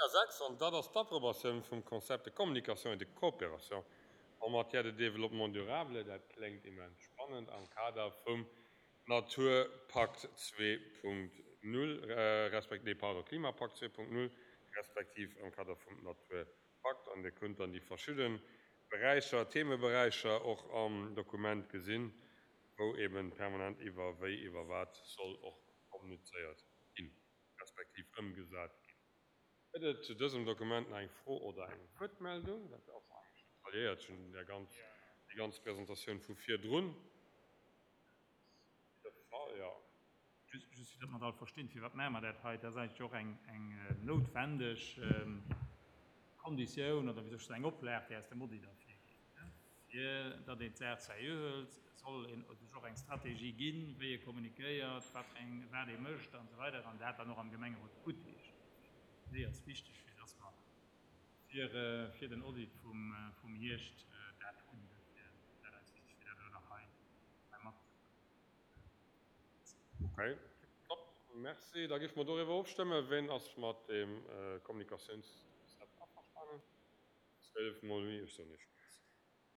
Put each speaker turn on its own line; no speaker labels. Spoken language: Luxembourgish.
Dossier 6, an dat ass d'Approbatioun vum Concept de communication et de coopération en matière de développement durable. Dat kléngt immens spannend am Kader vum Naturpakt 2.0, respekt, nee, pardon, Klimapakt 2.0, respektiv am Kader vum Naturpakt. An Dir kënnt dann déi verschidde Beräicher, Themeberäicher och am Dokument gesinn, wou eeben permanent iwwer wéi, iwwer wat soll och kommunizéiert ginn, respektiv ëmgesat ginn. Gëtt et zu dësem Dokument nach eng Fro oder eng Wuertmeldung? Dat ass eigentlech detailléiert schonn déi ganz, déi ganz Presentatioun vu virdrun. De Fall, jo.
Just, just fir datt mer et all verstinn, Firwat maache mer dat hei? Dat ass eigentlech och eng, eng noutwendeg Konditioun oder, wéi soll ech soen, eng Oplag, déi aus dem Audit ervirgeet. Fir datt een d'Saach seriö hëlt, soll een sech och eng Strategie ginn, wéi ee kommunikéiert, wat fir eng, wat ee mécht an esou weider an dat dann och am Gemengerot guttheescht. Déi ass wichteg, fir datt mer fir, fir den Audit vum, vum Hierscht dat hunn. Dofir ass dat eis wichteg, fir dat elo nach hei, hei mat ze.
Okay, top, merci. Da géife mer doriwwer ofstëmmen. Ween ass mat deem Kommunikatiounskonzept averstanen? 12 mol oui, ech soen Iech.